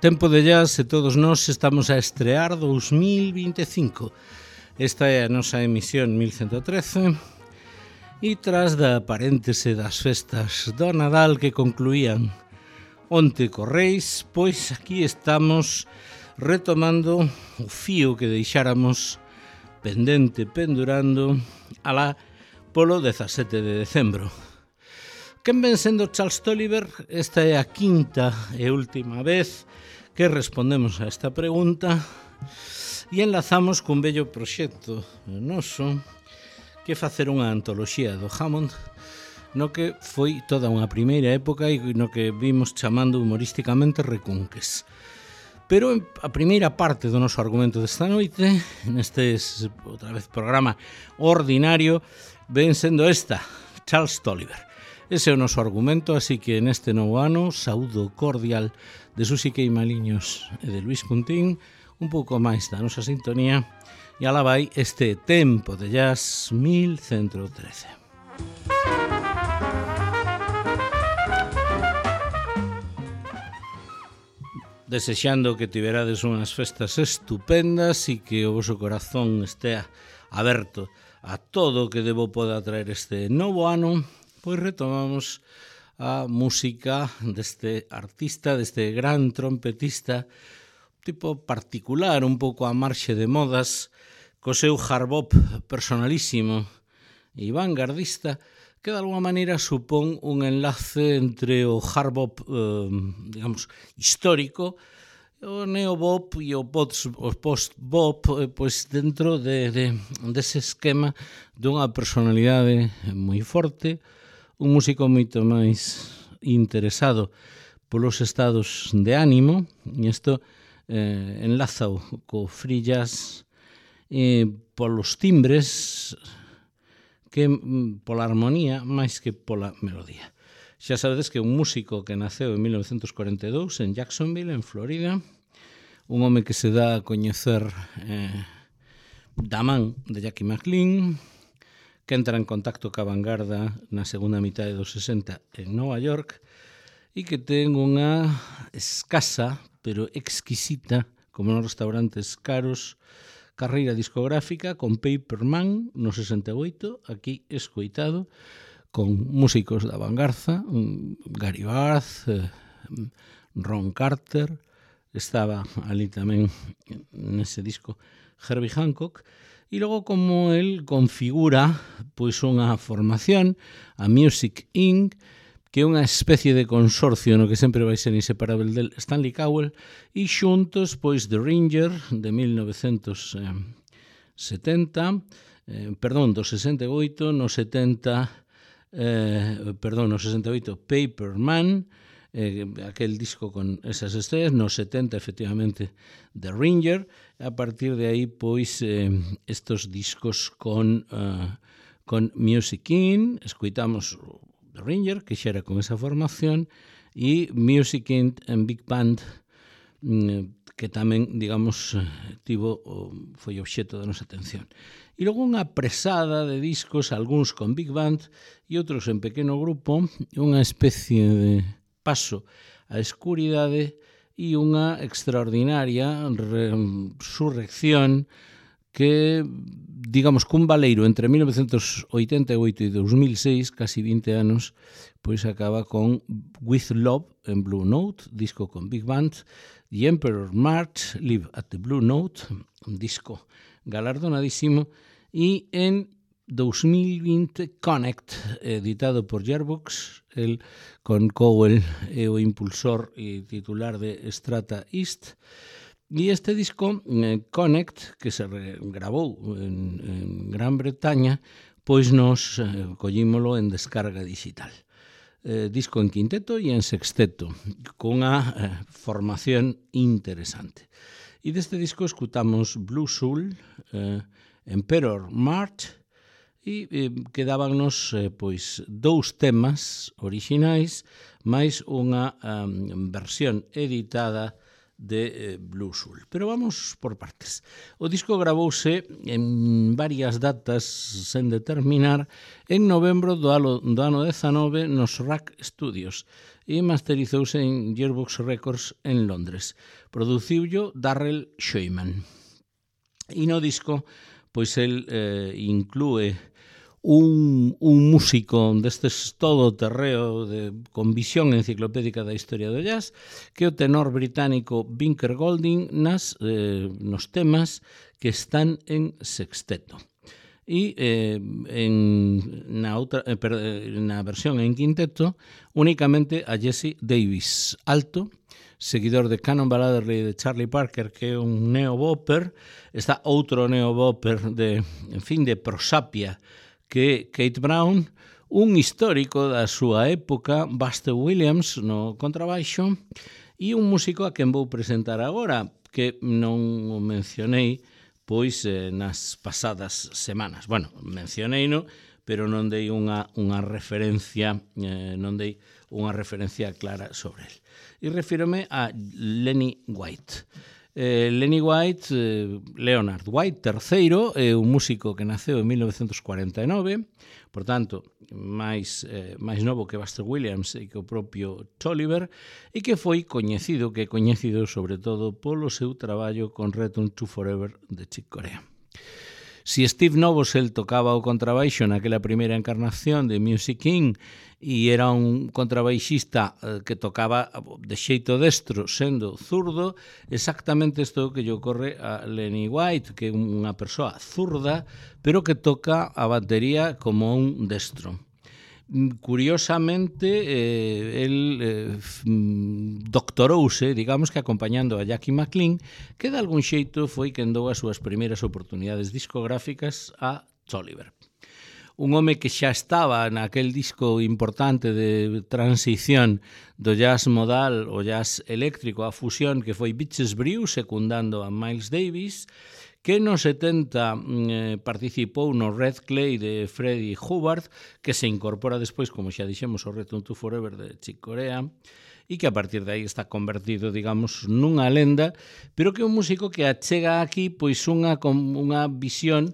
Tempo de jazz e todos nós estamos a estrear 2025. Esta é a nosa emisión 1113 e tras da paréntese das festas do Nadal que concluían onte Correis, pois aquí estamos retomando o fío que deixáramos pendurando alá polo 17 de decembro. Quen ven sendo Charles Tolliver? Esta é a quinta e última vez que respondemos a esta pregunta e enlazamos cun bello proxecto noso que facer unha antoloxía do Hammond no que foi toda unha primeira época e no que vimos chamando humorísticamente recunques. Pero a primeira parte do noso argumento desta noite, neste outra vez programa ordinario, ven sendo esta, Charles Tolliver. Ese é o noso argumento, así que neste novo ano, saúdo cordial de Susi Queimaliños e de Luis Puntín, un pouco máis da nosa sintonía, e alá vai este Tempo de Jazz 1113. Desexando que tiverades unhas festas estupendas e que o voso corazón estea aberto a todo o que debo poda traer este novo ano, pois retomamos a música deste artista, deste gran trompetista, tipo particular, un pouco a marxe de modas, co seu hard bop personalísimo e vanguardista, que de alguma maneira supón un enlace entre o hard bop, digamos, histórico, o neobop e o post-bop, pois dentro dese esquema dunha personalidade moi forte, un músico moito máis interesado polos estados de ánimo, e isto enlázao co free jazz polos timbres que pola armonía máis que pola melodía. Xa sabedes que un músico que naceu en 1942 en Jacksonville, en Florida, un home que se dá a coñecer da man de Jackie McLean, que entra en contacto ca vanguarda na segunda mitade dos 60 en Nova York e que ten unha escasa, pero exquisita, como nos restaurantes caros, carreira discográfica con Paperman no 68, aquí escoitado, con músicos da vanguarda, Gary Barth, Ron Carter, estaba ali tamén nese disco Herbie Hancock, e logo como el configura pois unha formación, a Music Inc., que é unha especie de consorcio no que sempre vai ser inseparable del Stanley Cowell, e xuntos pois The Ringer de 1970, do 68, no 68 Paperman, aquel disco con esas estrellas, no 70 efectivamente The Ringer, a partir de aí pois estos discos con Music In, escoitamos The Ringer, que xa era con esa formación, e Music In en Big Band, que tamén, digamos, foi obxeto da nosa atención. E logo unha presada de discos, algúns con Big Band e outros en pequeno grupo, unha especie de paso á escuridade e unha extraordinaria resurrección que, digamos, cun baleiro entre 1988 e 2006, casi 20 anos, pois acaba con With Love en Blue Note, disco con Big Band, The Emperor March, Live at the Blue Note, un disco galardonadísimo, e en 2020 Connect, editado por Gearbox, el con Cowell é o impulsor e titular de Strata East, e este disco Connect, que se gravou en Gran Bretaña, pois nos collímolo en descarga digital. Disco en quinteto e en sexteto, con unha formación interesante. E deste disco escutamos Blue Soul, Emperor March, e quedábanos pois dous temas orixinais máis unha versión editada de Blue Soul. Pero vamos por partes. O disco gravouse en varias datas sen determinar en novembro do ano 19 nos Rack Studios e masterizouse en Gearbox Records en Londres. Produciullo Darrell Scheumann. E no disco, pois el inclúe un músico destes todo terreo con visión enciclopédica da historia do jazz, que é o tenor británico Binker Golding nos temas que están en sexteto. E na versión en quinteto únicamente a Jesse Davis, alto, seguidor de Canon Balladerly de Charlie Parker, que é un neo-bopper. Está outro neo-bopper de prosapia, que Kate Brown, un histórico da súa época, Buster Williams no contrabaixo, e un músico a quen vou presentar agora, que non o mencionei pois nas pasadas semanas. Bueno, mencionei-no, pero non dei unha referencia, clara sobre el. E refírome a Lenny White. Leonard White III é un músico que naceu en 1949, por tanto, máis novo que Buster Williams e que o propio Tolliver, e que foi coñecido sobre todo polo seu traballo con Return to Forever de Chick Corea. Si Steve Novosel tocaba o contrabaixo naquela primeira encarnación de Music King e era un contrabaixista que tocaba de xeito destro sendo zurdo, exactamente isto que lle ocorre a Lenny White, que é unha persoa zurda, pero que toca a batería como un destro. Curiosamente, el doctorouse, digamos que acompañando a Jackie McLean, que de algún xeito foi quen dou as súas primeiras oportunidades discográficas a Tolliver. Un home que xa estaba naquel disco importante de transición do jazz modal o jazz eléctrico a fusión que foi Bitches Brew, secundando a Miles Davis, que no 70 participou no Red Clay de Freddie Hubbard, que se incorpora despois, como xa dixemos, ao Return to Forever de Chick Corea, e que a partir de aí está convertido, digamos, nunha lenda, pero que é un músico que achega aquí pois unha visión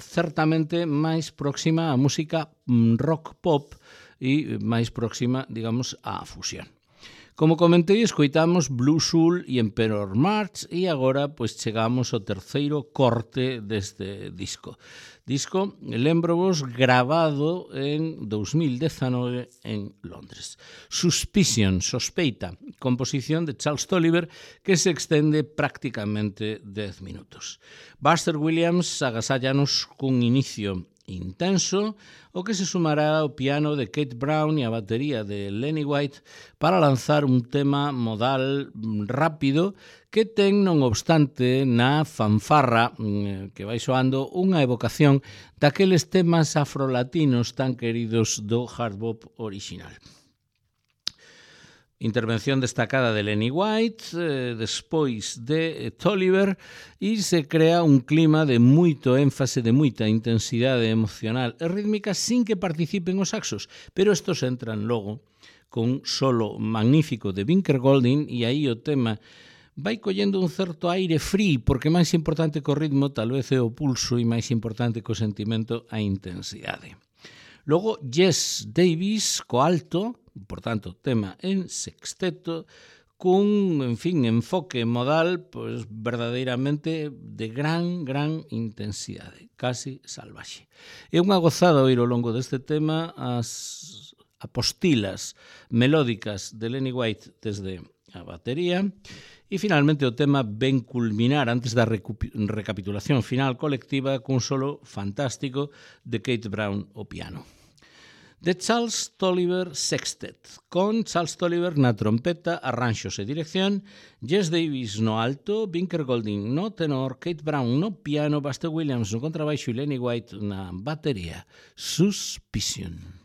certamente máis próxima á música rock pop e máis próxima, digamos, á fusión. Como comentei, escoitamos Blue Soul e Emperor March e agora pois chegamos ao terceiro corte deste disco. Disco, lembro-vos, gravado en 2019 en Londres. Suspicion, sospeita, composición de Charles Tolliver que se extende prácticamente 10 minutos. Buster Williams agasállanos cun inicio intenso, o que se sumará ao piano de Kate Brown e a batería de Lenny White para lanzar un tema modal rápido que ten, non obstante, na fanfarra que vai soando unha evocación daqueles temas afrolatinos tan queridos do hard bop original. Intervención destacada de Lenny White, despois de Tolliver, e se crea un clima de moito énfase, de moita intensidade emocional e rítmica sin que participen os saxos, pero estos entran logo con un solo magnífico de Binker Golding e aí o tema vai collendo un certo aire free, porque máis importante que o ritmo tal vez é o pulso e máis importante que o sentimento a intensidade. Logo, Jess Davis, co alto, por tanto, tema en sexteto, cun, enfoque modal pois verdadeiramente de gran intensidade, casi salvaxe. É unha gozada oír ao longo deste tema as apostilas melódicas de Lenny White desde a batería e finalmente o tema ven culminar antes da recapitulación final colectiva cun solo fantástico de Kate Brown ao piano. The Charles Tolliver Sextet, con Charles Tolliver na trompeta, arranxos e dirección, Jess Davis no alto, Binker Golding no tenor, Kate Brown no piano, Buster Williams no contrabaixo e Lenny White na batería. Suspicion.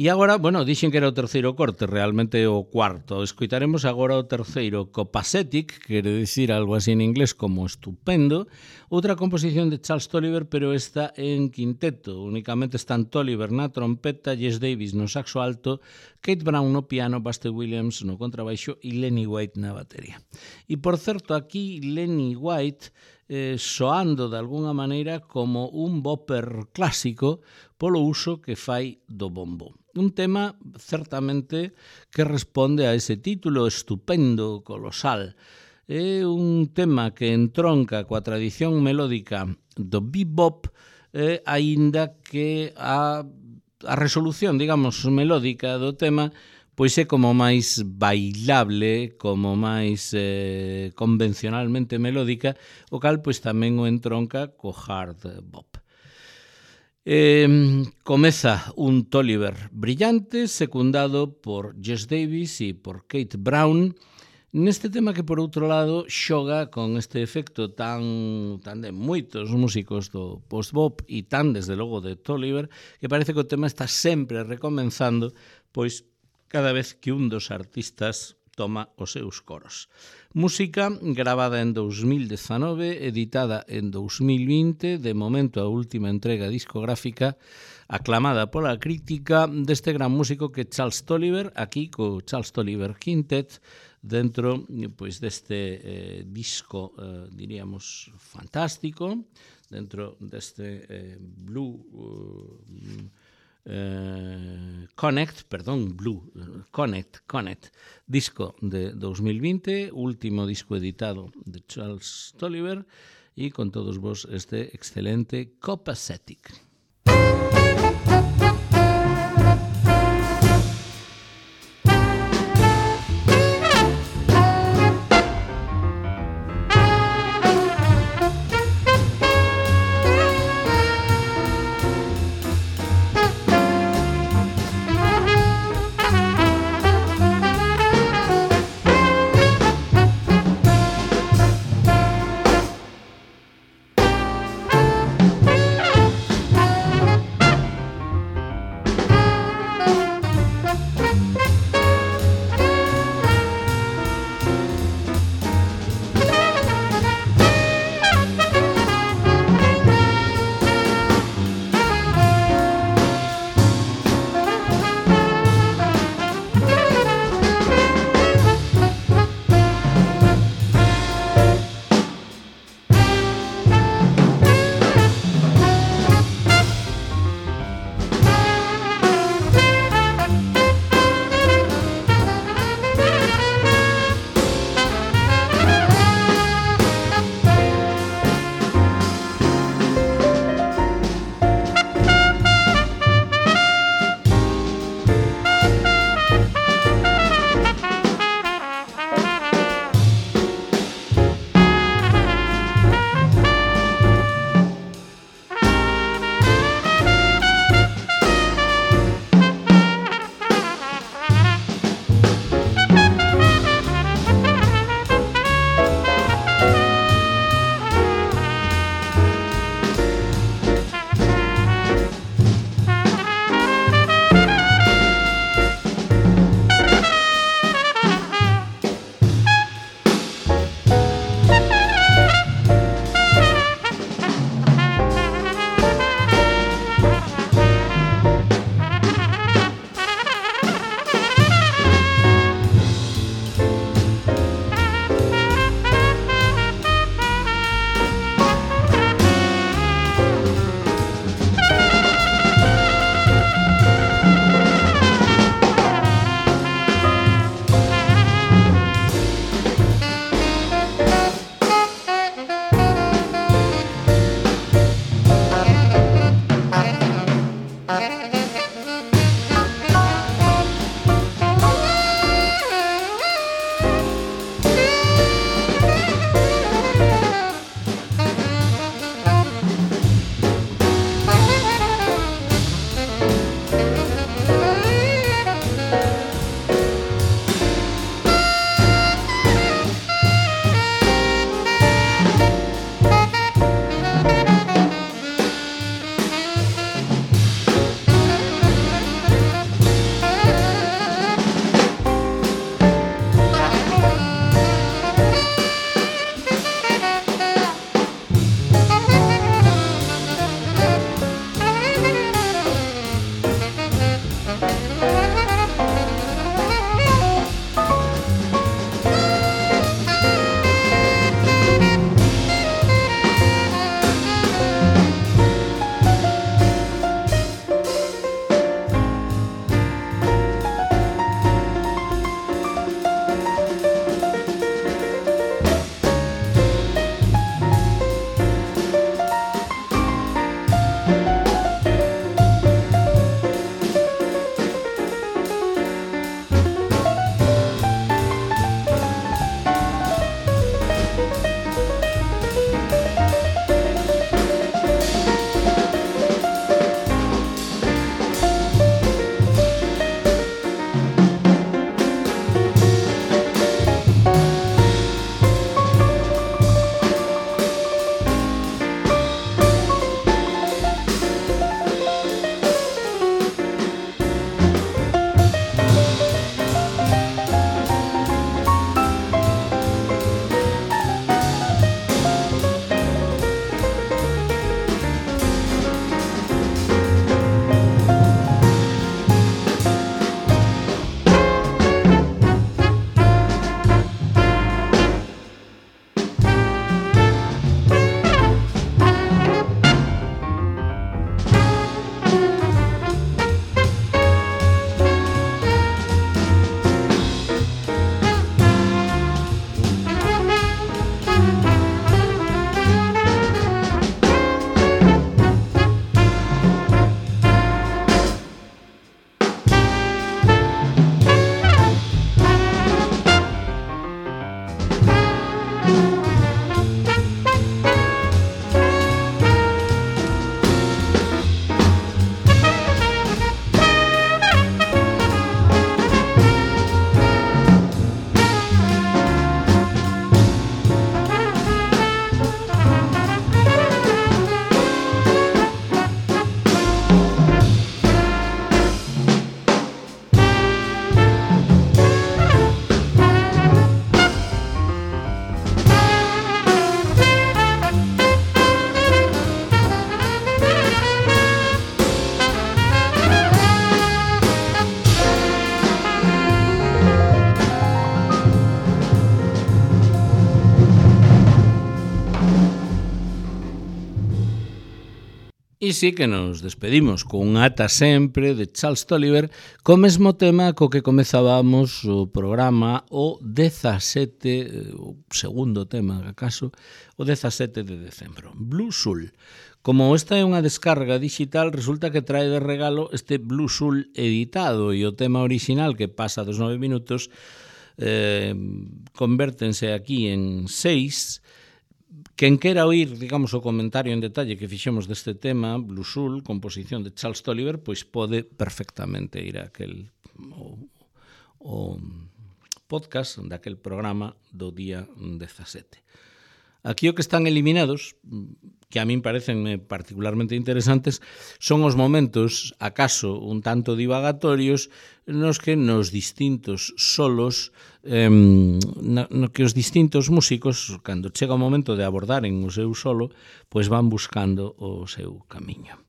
E agora, bueno, dixen que era o terceiro corte, realmente o cuarto. Escoitaremos agora o terceiro, Copacetic, quere dicir algo así en inglés como estupendo, outra composición de Charles Tolliver, pero esta en quinteto. Únicamente están Tolliver na trompeta, Jess Davis no saxo alto, Kate Brown no piano, Buster Williams no contrabaixo e Lenny White na batería. E, por certo, aquí Lenny White soando de alguna maneira como un bopper clásico polo uso que fai do bombo. Un tema certamente que responde a ese título estupendo, colosal. É un tema que entronca coa tradición melódica do bebop, aínda que a resolución, digamos, melódica do tema pois é como máis bailable, como máis convencionalmente melódica, o cal pois tamén o entronca co hard bop. Comeza un Tolliver brillante, secundado por Jess Davis e por Kate Brown, neste tema que, por outro lado, xoga con este efecto tan de moitos músicos do post-bop e tan, desde logo, de Tolliver, que parece que o tema está sempre recomenzando, pois cada vez que un dos artistas toma os seus coros. Música gravada en 2019, editada en 2020, de momento a última entrega discográfica, aclamada pola crítica deste gran músico que Charles Tolliver, aquí co Charles Tolliver Quintet, dentro pois deste disco, diríamos, fantástico, dentro deste Blue Connect, disco de 2020, último disco editado de Charles Tolliver, e con todos vos este excelente Copacetic. E sí que nos despedimos con Ata sempre de Charles Tolliver, co mesmo tema co que comezábamos o programa o 17, o segundo tema, acaso, o 17 de decembro, Blue Soul. Como esta é unha descarga digital, resulta que trae de regalo este Blue Soul editado e o tema original que pasa dos 9 minutos convértense aquí en 6. Quen quera oír, digamos, o comentario en detalle que fixemos deste tema, Blue Soul, composición de Charles Tolliver, pois pode perfectamente ir a aquel o podcast daquel programa do día 17. Aquí o que están eliminados, que a min parecenme particularmente interesantes, son os momentos, acaso un tanto divagatorios, nos que nos distintos solos, no que os distintos músicos, cando chega o momento de abordaren o seu solo, pois van buscando o seu camiño.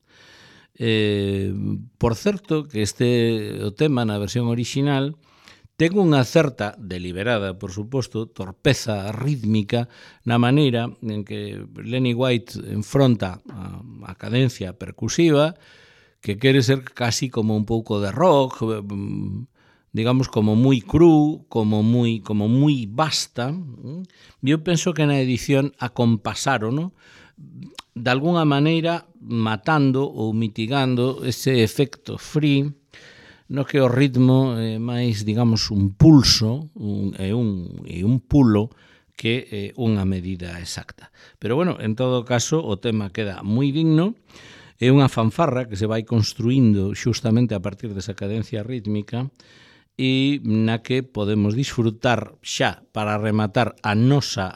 Por certo, que o tema na versión original ten unha certa, deliberada, por suposto, torpeza rítmica na maneira en que Lenny White enfronta a cadencia percusiva, que quere ser casi como un pouco de rock, digamos, como moi cru, como moi basta. Eu penso que na edición acompasaron, ¿no? De alguna maneira matando ou mitigando ese efecto free, no que o ritmo é máis, digamos, un pulso e un pulo que unha medida exacta. Pero, bueno, en todo caso, o tema queda moi digno. É unha fanfarra que se vai construindo xustamente a partir desa cadencia rítmica e na que podemos disfrutar xa para rematar a nosa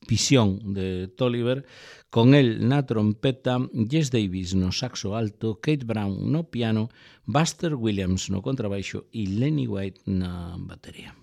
visión de Tolliver, con el na trompeta, Jess Davis no saxo alto, Kate Brown no piano, Buster Williams no contrabaixo e Lenny White na batería.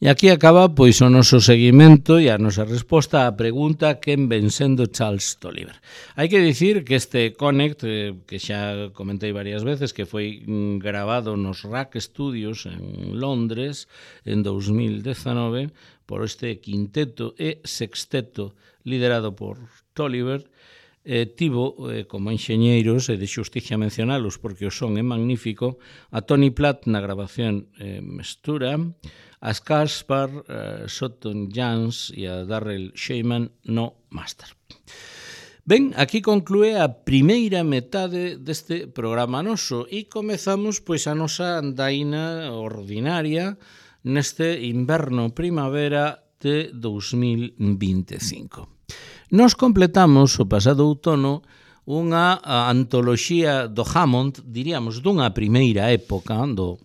E aquí acaba pois o noso seguimento e a nosa resposta á pregunta quen ven sendo Charles Tolliver. Hai que dicir que este Connect, que xa comentei varias veces, que foi grabado nos Rack Studios en Londres en 2019 por este quinteto e sexteto liderado por Tolliver, tivo como enxeñeiros, e de xusticia mencionalos porque o son é magnífico, a Tony Platt na grabación mestura, a Caspar Sutton Jans e a Darrell Shaiman no máster. Ben, aquí conclúe a primeira metade deste programa noso e comezamos pois a nosa andaina ordinaria neste inverno-primavera de 2025. Nos completamos o pasado outono unha antoloxía do Hammond, diríamos, dunha primeira época do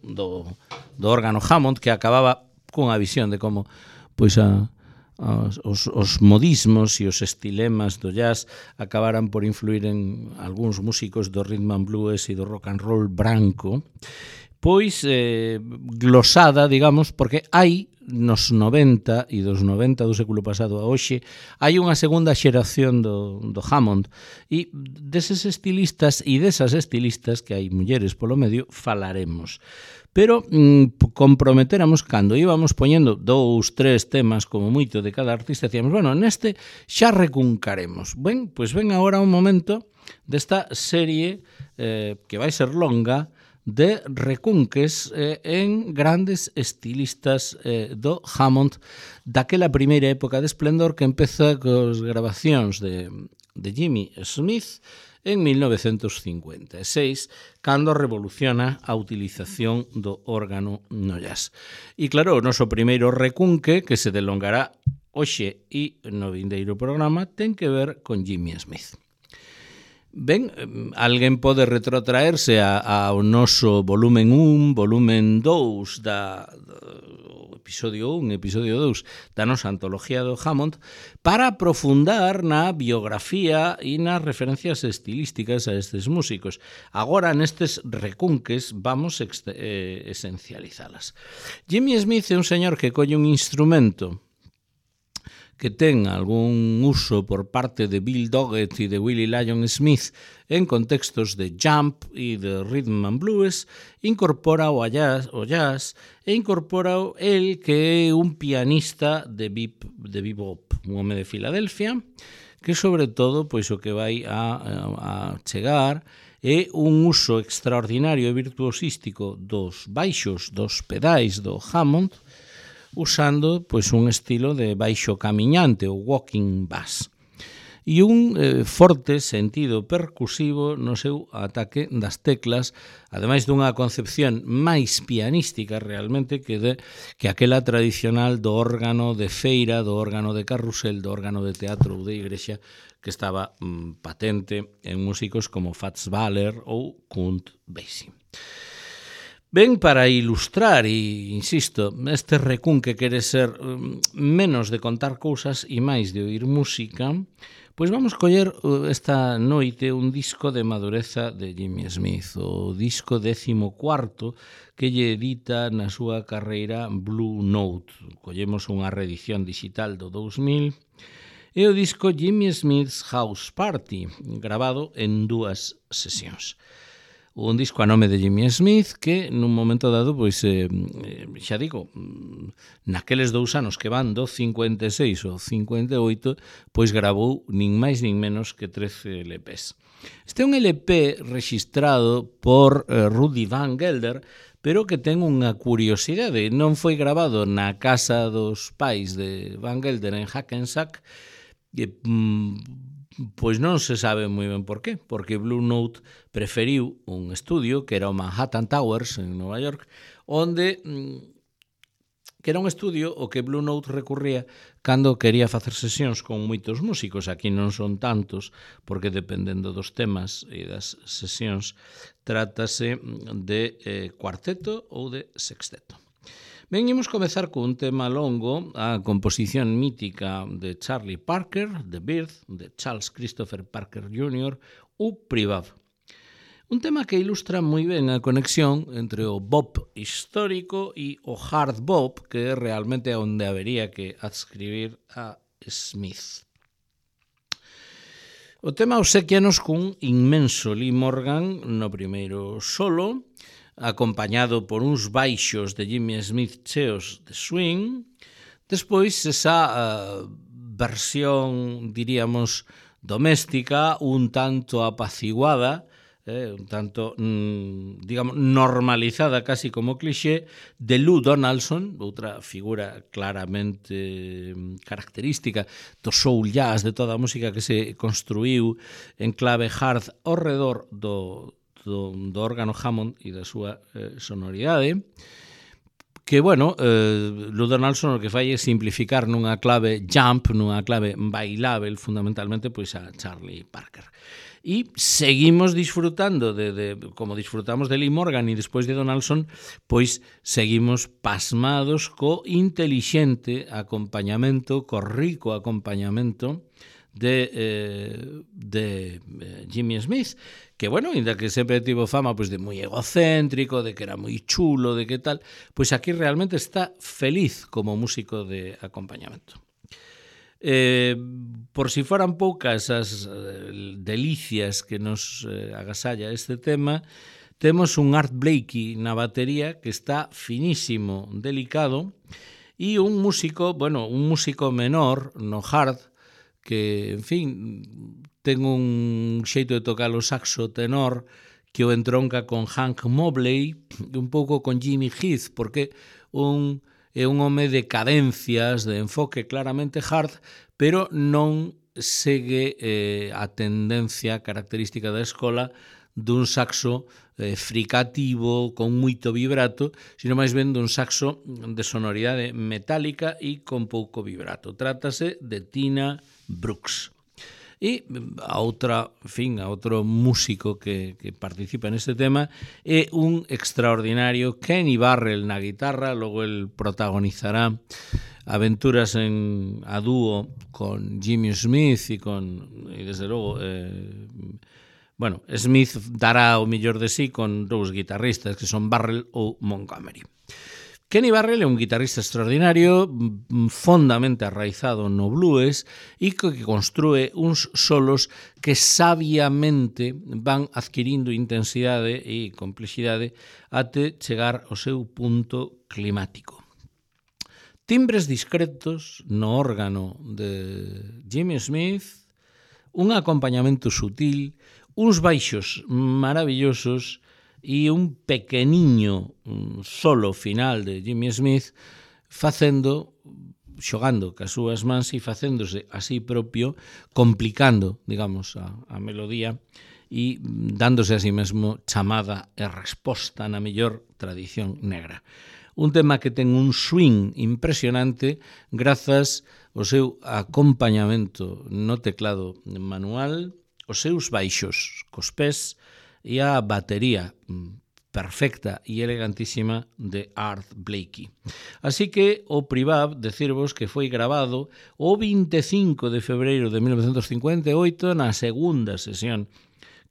órgano Hammond, que acababa cunha visión de como pois os modismos e os estilemas do jazz acabaran por influir en algúns músicos do rhythm and blues e do rock and roll branco, pois glosada, digamos, porque hai nos 90 e dos 90 do século pasado a hoxe hai unha segunda xeración do Hammond e deses estilistas e desas estilistas, que hai mulleres polo medio, falaremos. Pero comprometeramos cando íbamos poñendo 2, 3 temas como moito de cada artista, decíamos, bueno, neste xa recuncaremos. Ben, pois ven agora un momento desta serie que vai ser longa de recunques en grandes estilistas do Hammond daquela primeira época de esplendor que empeza cos grabacións de Jimmy Smith en 1956, cando revoluciona a utilización do órgano no jazz. E claro, o noso primeiro recunque, que se delongará hoxe e no vindeiro programa, ten que ver con Jimmy Smith. Ben, alguén pode retrotraerse ao noso volumen 1, volumen 2 episodio 1, episodio 2 da nosa antoloxía do Hammond para aprofundar na biografía e nas referencias estilísticas a estes músicos. Agora, nestes recunques, vamos esencializalas. Jimmy Smith é un señor que colle un instrumento que ten algún uso por parte de Bill Doggett e de Willie Lyon Smith en contextos de jump e de rhythm and blues, incorpora o jazz e incorpora el que é un pianista de bebop, un home de Filadelfia, que sobre todo pois o que vai a chegar é un uso extraordinario e virtuosístico dos baixos, dos pedais do Hammond, usando pois un estilo de baixo camiñante, o walking bass, e un forte sentido percusivo no seu ataque das teclas, ademais dunha concepción máis pianística realmente que aquela tradicional do órgano de feira, do órgano de carrusel, do órgano de teatro ou de igrexa que estaba patente en músicos como Fats Waller ou Count Basie. Ben, para ilustrar, e insisto, este recunque quere ser menos de contar cousas e máis de oír música, pois vamos coller esta noite un disco de madureza de Jimmy Smith, o disco 14º que lle edita na súa carreira Blue Note. Collemos unha reedición digital do 2000 e o disco Jimmy Smith's House Party, grabado en 2 sesións. Un disco a nome de Jimmy Smith que nun momento dado, pois, xa digo, naqueles 2 anos que van do 56 ao 58, pois gravou nin máis nin menos que 13 LPs. Este é un LP registrado por Rudy Van Gelder, pero que ten unha curiosidade. Non foi grabado na casa dos pais de Van Gelder en Hackensack, pois non se sabe moi ben por qué, porque Blue Note preferiu un estudio que era o Manhattan Towers en Nova York, onde que era un estudio o que Blue Note recurría cando quería facer sesións con moitos músicos. Aquí non son tantos, porque dependendo dos temas e das sesións, trátase de cuarteto ou de sexteto. Ben, imos comezar con un tema longo, a composición mítica de Charlie Parker, The Birth, de Charles Christopher Parker Jr., ou Privav. Un tema que ilustra moi ben a conexión entre o bop histórico e o hard bop, que é realmente onde habería que adscribir a Smith. O tema obsequianos cun inmenso Lee Morgan no primeiro solo, acompañado por uns baixos de Jimmy Smith cheos de swing, despois esa versión, diríamos, doméstica, un tanto apaciguada, un tanto, digamos, normalizada casi como cliché, de Lou Donaldson, outra figura claramente característica do soul jazz, de toda a música que se construíu en clave hard ao redor do órgano Hammond e da súa sonoridade, que, bueno, Lou Donaldson o que fai é simplificar nunha clave jump, nunha clave bailável, fundamentalmente, pois a Charlie Parker. E seguimos disfrutando, como disfrutamos de Lee Morgan e despois de Donaldson, pois seguimos pasmados co intelixente acompañamento, co rico acompañamento de Jimmy Smith, que, bueno, ainda que sempre tivo fama pois de moi egocéntrico, de que era moi chulo, de que tal, pois aquí realmente está feliz como músico de acompañamento. Por si foran poucas as delicias que nos agasalla este tema, temos un Art Blakey na batería que está finísimo, delicado, e un músico, bueno, un músico menor no hard, que, en fin, ten un xeito de tocar o saxo tenor que o entronca con Hank Mobley, un pouco con Jimmy Heath, porque é un home de cadencias, de enfoque claramente hard, pero non segue a tendencia característica da escola dun saxo fricativo con moito vibrato, sino máis ben dun saxo de sonoridade metálica e con pouco vibrato. Trátase de Tina Brooks. E a outro músico que participa neste tema é un extraordinario Kenny Barrell na guitarra, logo el protagonizará aventuras a dúo con Jimmy Smith e desde logo Smith dará o mellor de sí con dous guitarristas que son Barrell ou Montgomery. Kenny Barrell é un guitarrista extraordinario, fondamente arraizado no blues e que construe uns solos que sabiamente van adquirindo intensidade e complexidade até chegar ao seu punto climático. Timbres discretos no órgano de Jimmy Smith, un acompañamento sutil, uns baixos maravillosos e un pequeniño solo final de Jimmy Smith xogando cas súas mans e facéndose así propio, complicando, digamos, a melodía e dándose a sí mesmo chamada e resposta na mellor tradición negra. Un tema que ten un swing impresionante grazas ao seu acompañamento no teclado manual, os seus baixos cos pés e a batería perfecta e elegantísima de Art Blakey. Así que o Privab, decirvos que foi grabado o 25 de febreiro de 1958 na segunda sesión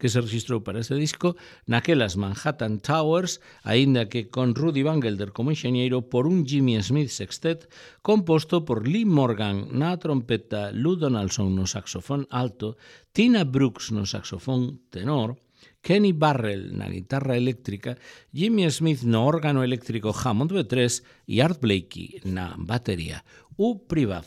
que se registrou para este disco naquelas Manhattan Towers, aínda que con Rudy Van Gelder como enxeñeiro, por un Jimmy Smith sextet composto por Lee Morgan na trompeta, Lou Donaldson no saxofón alto, Tina Brooks no saxofón tenor, Kenny Barrell na guitarra eléctrica, Jimmy Smith no órgano eléctrico Hammond B3 e Art Blakey na batería. O Privab.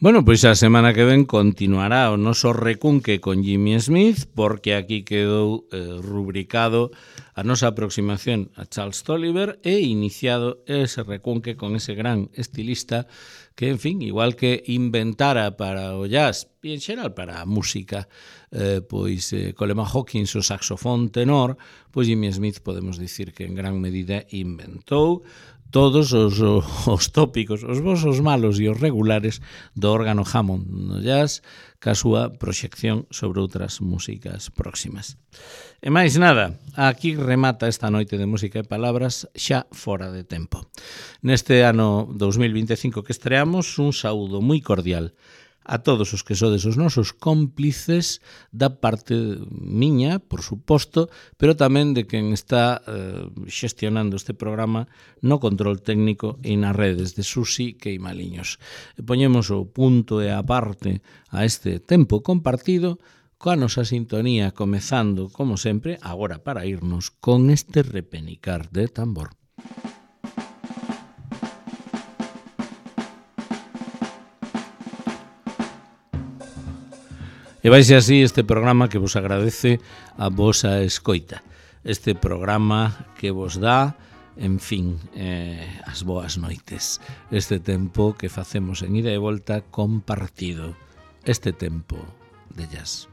Bueno, pois a semana que ven continuará o noso recunque con Jimmy Smith, porque aquí quedou rubricado a nosa aproximación a Charles Tolliver e iniciado ese recunque con ese gran estilista que, en fin, igual que inventara para o jazz e en xeral para a música, Coleman Hawkins o saxofón tenor, pois Jimmy Smith podemos dicir que en gran medida inventou todos os tópicos, os bons, os malos e os regulares do órgano Hammond no jazz, ca súa proxección sobre outras músicas próximas. E máis nada, aquí remata esta noite de música e palabras xa fora de tempo. Neste ano 2025 que estreamos, un saúdo moi cordial a todos os que sodes os nosos cómplices da parte miña, por suposto, pero tamén de quen está xestionando este programa no control técnico e nas redes de Susi Queimaliños. Poñemos o punto e a parte a este tempo compartido coa nosa sintonía, comezando, como sempre, agora para irnos con este repenicar de tambor. E vaise así este programa que vos agradece a vosa escoita. Este programa que vos dá, en fin, as boas noites. Este tempo que facemos en ida e volta compartido. Este tempo de jazz.